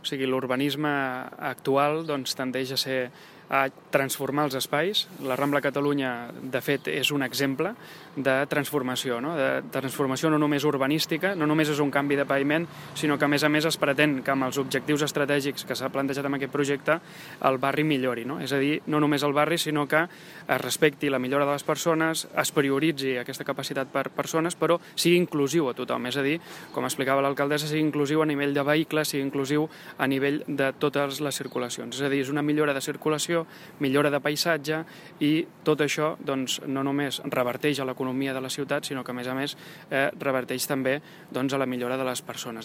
O sigui, l'urbanisme actual tendeix a transformar els espais. La Rambla Catalunya, de fet, és un exemple de transformació, no? De transformació no només urbanística, no només és un canvi de paviment, sinó que, a més, es pretén que amb els objectius estratègics que s'ha plantejat amb aquest projecte el barri millori, no? És a dir, no només el barri, sinó que es respecti la millora de les persones, es prioritzi aquesta capacitat per persones, però sigui inclusiu a tothom. És a dir, com explicava l'alcaldessa, sigui inclusiu a nivell de vehicles, sigui inclusiu a nivell de totes les circulacions. És a dir, és una millora de circulació, millora de paisatge, i tot això no només reverteix a l'economia de la ciutat, sinó que, a més, reverteix també a la millora de les persones.